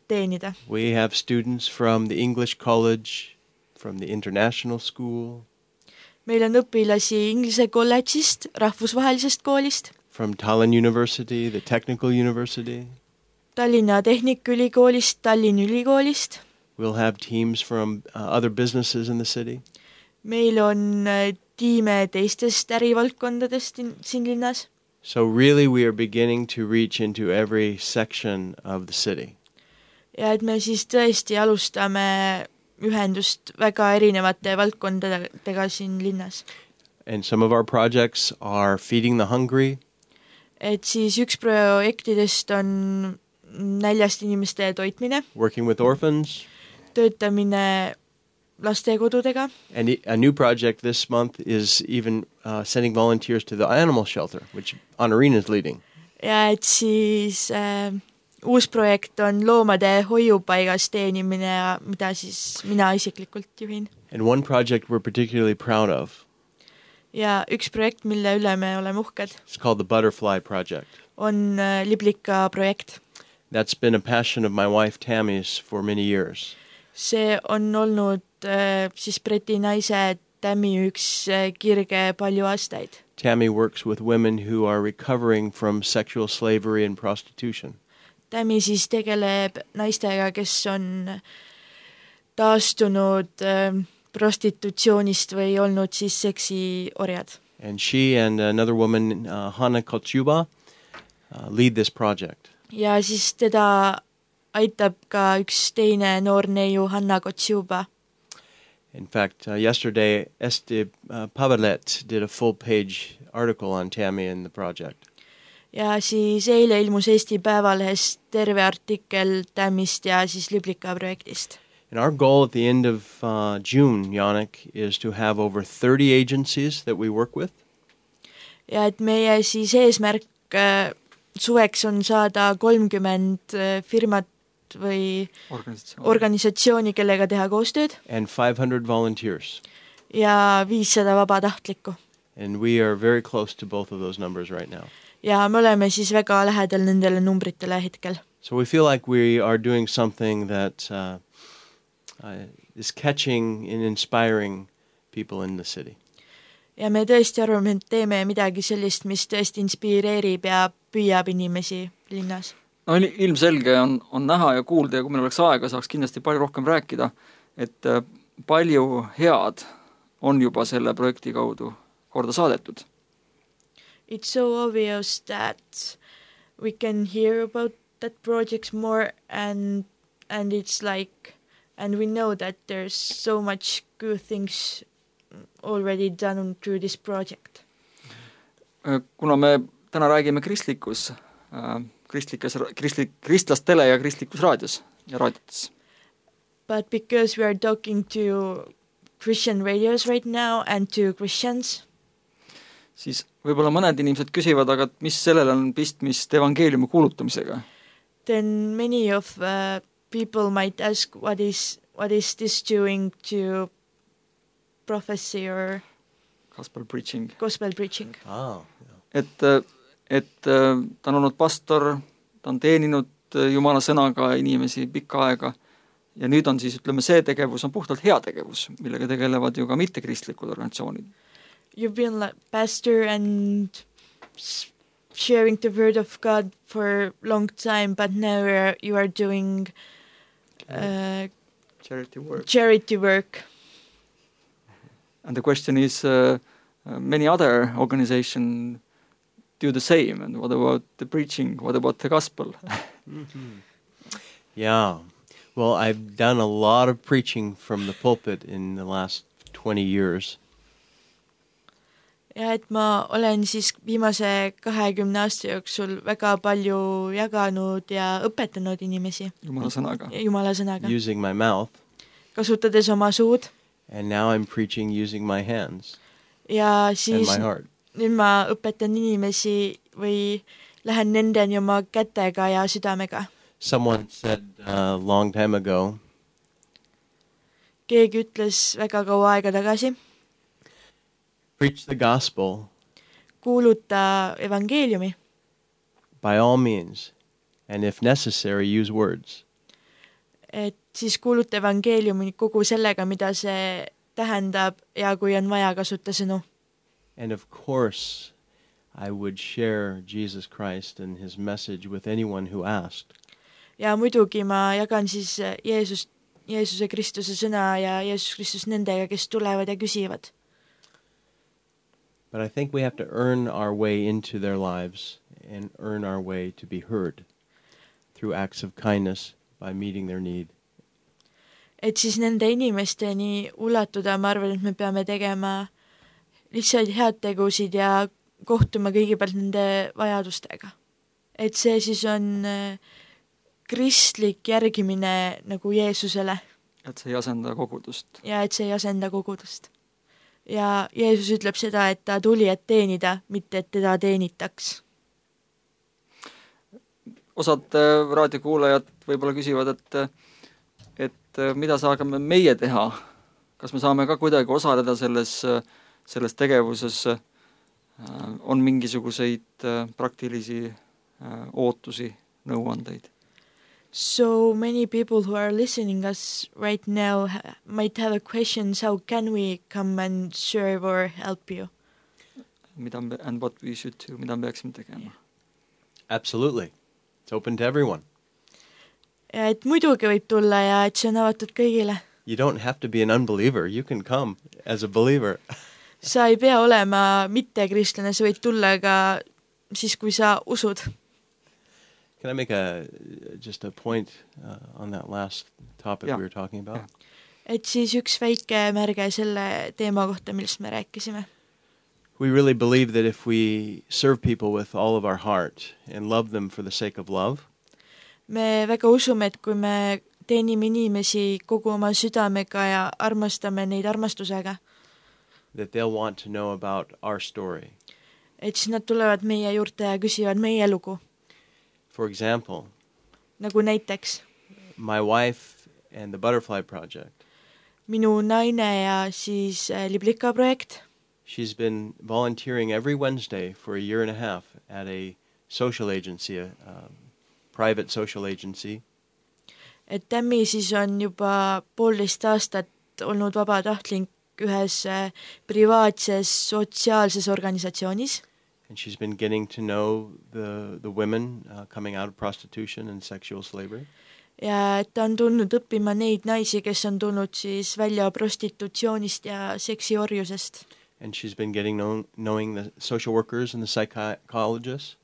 teenida. We have students from the English College, from the International School, Meil on õpilasi Inglise kolledžist, rahvusvahelisest koolist, from Tallinn University, the Technical University. Tallinna Tehnikaülikoolist, Tallinna Ülikoolist. We'll have teams from other businesses in the city. Meil on tiime teistest ärivaldkondadest siin linnas. So really we are beginning to reach into every section of the city. Ja et me siis tõesti alustame ühendust väga erinevate valdkondadega siin linnas. And some of our projects are feeding the hungry. Et siis üks projektidest on näljast inimeste toitmine, Working with orphans. töötamine lastekodudega. And a new project this month is even sending volunteers to the animal shelter, which Honorine is leading. Ja et siis uus projekt on loomade hoiupaigas teenimine ja mida siis mina isiklikult juhin. And one project we're particularly proud of. Ja üks projekt, mille üle me oleme uhked, It's called the Butterfly Project. on liblika projekt. That's been a passion of my wife Tammy's for many years. See on olnud siis Briti naise Tammy üks kirge palju aastaid. Tammy works with women who are recovering from sexual slavery and prostitution. Tammy siis tegeleb naistega, kes on taastunud prostitutsioonist või olnud siis seksiorjad. And she and another woman, Hanna Kochuba, lead this project. Ja siis teda aitab ka üks teine noor neiu, Hanna Kochuba. In fact, yesterday, Esti Pavelet did a full-page article on Tammy and the project. Ja siis eile ilmus Eesti Päevalehes terve artikkel Tammist ja siis liblika projektist. And our goal at the end of June, Yannick, is to have over 30 agencies that we work with. ja et meie siis eesmärk suveks on saada 30 firmat või organisatsiooni, kellega teha koostööd and 500 volunteers. ja 500 vabatahtlikku. And we are very close to both of those numbers right now. Ja me oleme siis väga lähedal nendele numbritele hetkel. So we feel like we are doing something that is catching and inspiring people in the city. Ja me tõesti arvame, et teeme midagi sellist, mis tõesti inspireerib ja püüab inimesi linnas. No ilmselge on näha ja kuulda ja kui meil oleks aega, saaks kindlasti palju rohkem rääkida, et palju head on juba selle projekti kaudu korda saadetud. It's so obvious that we can hear about that project more and it's like and we know that there's so much good things already done through this project. Kuna me täna räägime kristlastele ja kristlikus raadios ja raadiotes. But because we are talking to Christian radios right now and to Christians, siis võib-olla mõned inimesed küsivad, aga mis sellel on pistmist evangeeliumi kuulutamisega? Then many of people might ask what is this doing to prophecy or gospel preaching. Oh, yeah. Et ta on olnud pastor, ta on teeninud Jumala sõnaga inimesi pikka aega ja nüüd on siis, ütleme, see tegevus on puhtalt hea tegevus, millega tegelevad ju ka mittekristlikud organisatsioonid. You've been like pastor and sharing the word of God for a long time, but now you are doing charity work. And the question is, many other organizations do the same. And what about the preaching? What about the gospel? Yeah. Well, I've done a lot of preaching from the pulpit in the last 20 years. Ja et ma olen siis viimase 20 aasta jooksul väga palju jaganud ja õpetanud inimesi. Jumala sõnaga. Using my mouth. Kasutades oma suud. And now I'm preaching using my hands. Ja siis and my heart. Nüüd ma õpetan inimesi või lähen nendeni oma kätega ja südamega. Someone said a long time ago. Keegi ütles väga kaua aega tagasi. Preach the gospel. Kuuluta evangeeliumi. By all means. And if necessary, use words. Et siis kuuluta evangeeliumi kogu sellega, mida see tähendab ja kui on vaja kasuta sõnu. And of course, I would share Jesus Christ and his message with anyone who asked. Ja muidugi ma jagan siis Jeesuse Kristuse sõna ja Jeesus Kristus nendega, kes tulevad ja küsivad. But I think we have to earn our way into their lives and earn our way to be heard through acts of kindness by meeting their need. Et siis nende inimesteni ulatuda, ma arvan, et me peame tegema lihtsalt head tegusid ja kohtuma kõigepealt nende vajadustega. Et see siis on kristlik järgimine nagu Jeesusele. Et see ei asenda kogudust. Ja et see ei asenda kogudust. Ja Jeesus ütleb seda, et ta tuli, et teenida, mitte et teda teenitaks. Osad raadiokuulajad võib-olla küsivad, et mida saame meie teha? Kas me saame ka kuidagi osaleda selles tegevuses? On mingisuguseid praktilisi ootusi, nõuandeid? So many people who are listening us right now might have a question, how can we come and serve or help you? And what we should do, mida me peaksime tegema? Absolutely. It's open to everyone. Ja et muidugi võib tulla ja et see on avatud kõigile. You don't have to be an unbeliever. You can come as a believer. Sa ei pea olema mitte kristlane, sa võid tulla ka siis, kui sa usud. Can I make just a point on that last topic we were talking about? Et siis üks väike märge selle teema kohta, millest me rääkisime. We really believe that if we serve people with all of our heart and love them for the sake of love, me väga usume, et kui me teenime inimesi kogu oma südamega ja armastame neid armastusega, that they'll want to know about our story. et siis nad tulevad meie juurde ja küsivad meie lugu. For example, Nagu näiteks my wife and the Butterfly Project. minu naine ja siis Liblika projekt. She's been volunteering every Wednesday for a year and a half at a social agency, a private social agency. Et Tammi siis on juba 1,5 aastat olnud vabatahtlik ühes privaatses sotsiaalses organisatsioonis. And she's been getting to know the women coming out of prostitution and sexual slavery. Ja et ta on tulnud õppima neid naisi, kes on tulnud siis välja prostitutsioonist ja seksiorjusest. And she's been getting knowing the social workers and the psychologists.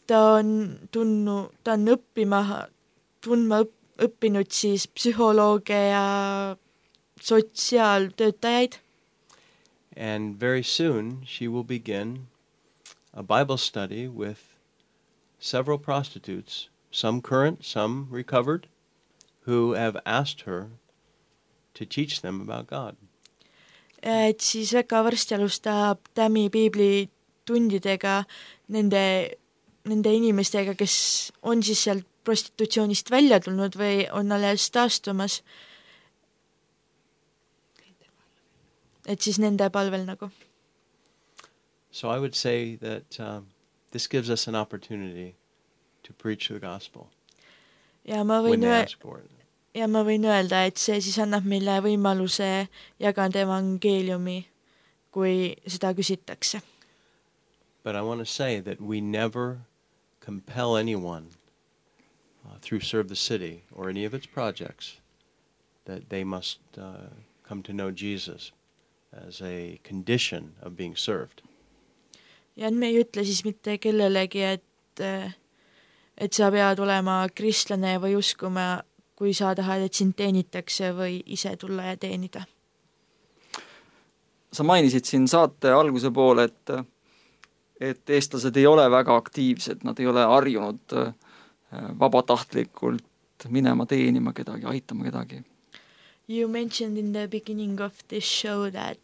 Ta on õppinud siis psühholooge ja sotsiaaltöötajaid. And very soon she will begin a Bible study with several prostitutes, some current, some recovered, who have asked her to teach them about God. Et siis väga varsti alustab Tammi piiblitundidega nende inimestega, kes on siis sealt prostitutsioonist välja tulnud või on alles taastumas. Et siis nende palvel nagu. So I would say that this gives us an opportunity to preach the gospel Ja ma when võin they ask for it. öelda, et see siis annab meile võimaluse jagada evangeeliumi, kui seda küsitakse. But I want to say that we never compel anyone through Serve the City or any of its projects that they must come to know Jesus as a condition of being served. Ja me ei ütle siis mitte kellelegi, et sa pead olema kristlane või uskuma, kui sa tahad, et sind teenitakse või ise tulla ja teenida. Sa mainisid siin saate alguse poole, et eestlased ei ole väga aktiivsed, nad ei ole harjunud vabatahtlikult minema teenima kedagi, aitama kedagi. You mentioned in the beginning of this show that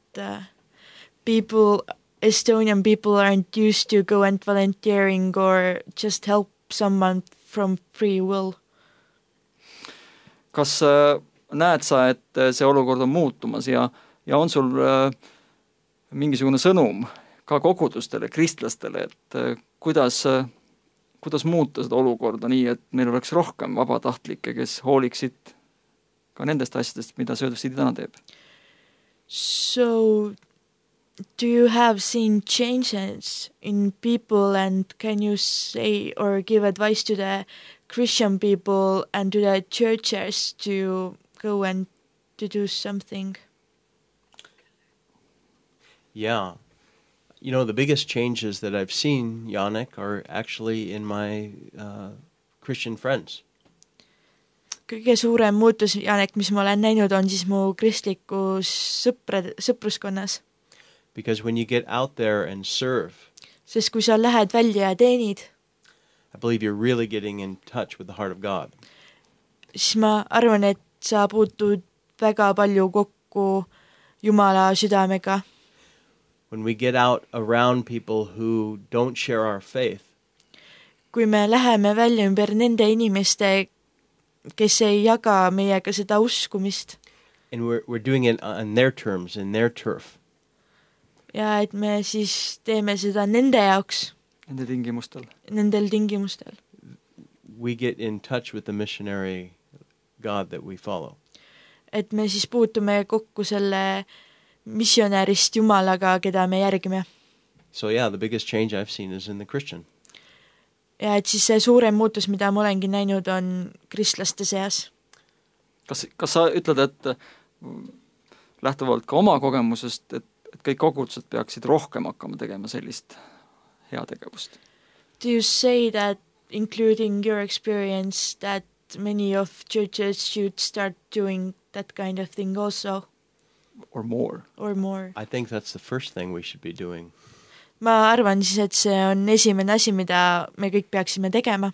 Estonian people aren't used to go and volunteering or just help someone from free will. Kas näed sa, et see olukord on muutumas ja on sul mingisugune sõnum ka kogudustele, kristlastele, et kuidas muuta seda olukorda nii, et meil oleks rohkem vabatahtlikke, kes hooliksid ka nendest asjadest, mida Serve the City täna teeb? So, do you have seen changes in people and can you say or give advice to the Christian people and to the churches to go and to do something? Yeah. You know, the biggest changes that I've seen, Yannick, are actually in my Christian friends. Kõige suurem muutus, Janek, mis ma olen näinud, on siis mu kristlikus sõpruskonnas. Because when you get out there and serve, Sest kui sa lähed välja ja teenid, I believe you're really getting in touch with the heart of God. siis ma arvan, et sa puutud väga palju kokku Jumala südamega. When we get out around people who don't share our faith, Kui me läheme välja ümber nende inimeste, kes ei jaga meiega seda uskumist and we're doing it on their terms, in their turf, ja et me siis teeme seda nende jaoks, Nende tingimustel. nendel tingimustel, we get in touch with the missionary God that we follow. et me siis puutume kokku selle missionärist Jumalaga, keda me järgime. So yeah, the biggest change I've seen is in the Christian. Ja et siis see suurem muutus, mida ma olengi näinud, on kristlaste seas. Kas sa ütled, et lähtuvalt ka oma kogemusest, et kõik kogudused peaksid rohkem hakkama tegema sellist heategevust? Do you say that, including your experience, that many of churches should start doing that kind of thing also, Or more? or more? I think that's the first thing we should be doing. Ma arvan siis, et see on esimene asi, mida me kõik peaksime tegema.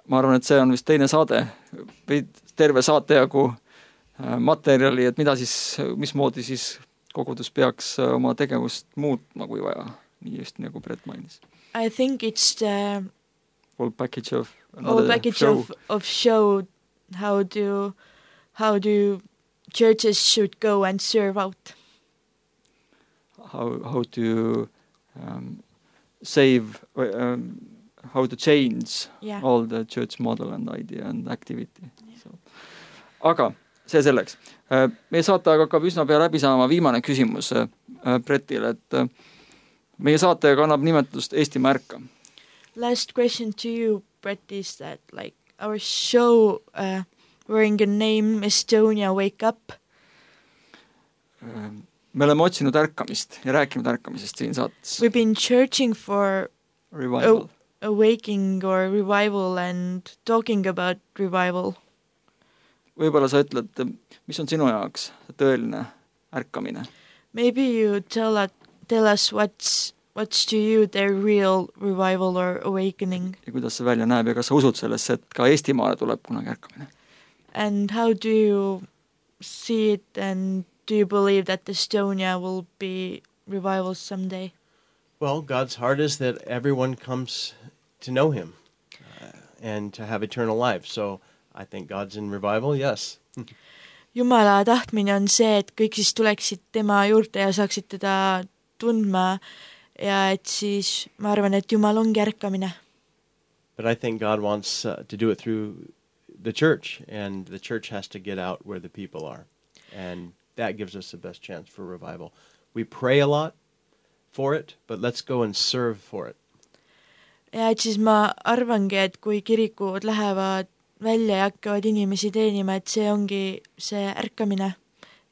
Ma arvan, et see on vist teine saade, või terve saatejagu materjali, et mismoodi siis kogudus peaks oma tegevust muutma, kui vaja, nii just nagu Brett mainis. I think it's the Whole package of show how do churches should go and serve out. How to save, how to change all the church model and idea and activity. So. Aga see selleks. Meie saateaega hakkab üsna pea läbi saama viimane küsimus Brettile, et meie saateaega annab nimetust Eestimaa ärka. Last question to you, Brett, is that like our show wearing the name Estonia Wake Up? Me oleme otsinud ärkamist ja rääkinud ärkamisest siin saates. We've been searching for revival. Awakening or revival and talking about revival. Võib-olla sa ütled, mis on sinu jaoks tõeline ärkamine? Maybe you tell us what's to you the real revival or awakening. Ja kuidas see välja näeb ja kas sa usud sellesse, et ka Eestimaale tuleb kunagi ärkamine? And how do you see it and do you believe that Estonia will be revival someday? Well, God's heart is that everyone comes to know him and to have eternal life. So I think God's in revival, yes. Jumala tahtmine on see, et kõik siis tuleksid tema juurde ja saaksid teda tundma ja et siis ma arvan, et Jumal ongi ärkamine. But I think God wants to do it through the church, and the church has to get out where the people are. And that gives us the best chance for revival. We pray a lot for it, but let's go and serve for it. Ja et siis ma arvangi, et kui kirikud lähevad välja ja hakkavad inimesi teenima, et see ongi see ärkamine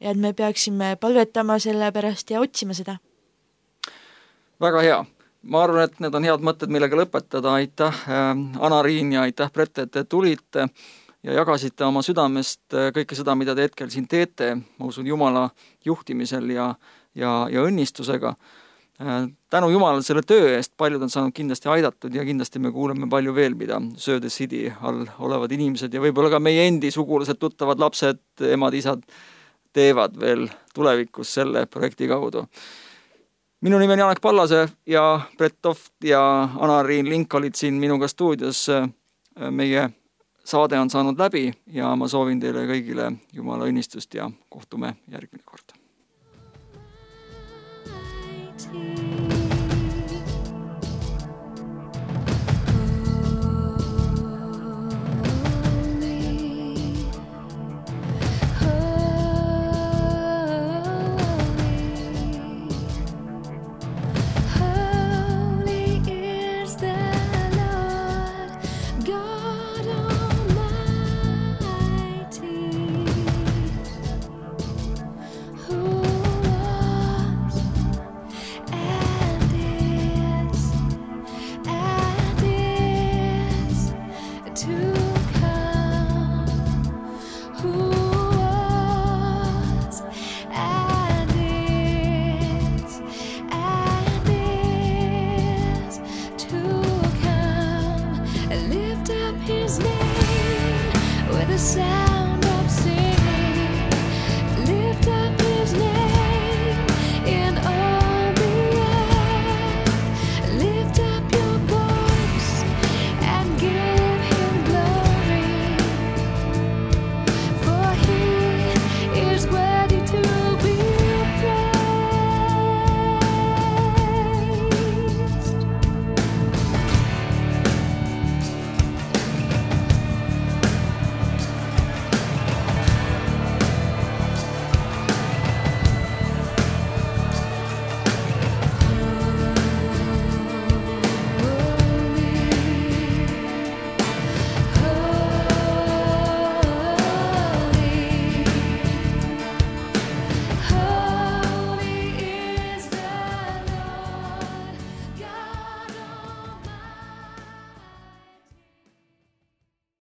ja et me peaksime palvetama selle pärast ja otsima seda. Väga hea. Ma arvan, et need on head mõtted, millega lõpetada. Aitäh Anna-Riin ja aitäh Brett, et te tulite ja jagasite oma südamest kõike seda, mida te hetkel siin teete. Ma usun Jumala juhtimisel ja õnnistusega. Tänu Jumalale selle töö eest paljud on saanud kindlasti aidatud ja kindlasti me kuuleme palju veel, mida Söö the City all olevad inimesed ja võib-olla ka meie endi sugulased, tuttavad lapsed, emad, isad teevad veel tulevikus selle projekti kaudu. Minu nimi on Janek Pallase ja Brett Toft ja Anna-Riin Link olid siin minuga stuudios. Meie saade on saanud läbi ja ma soovin teile kõigile Jumala õnnistust ja kohtume järgmine kord.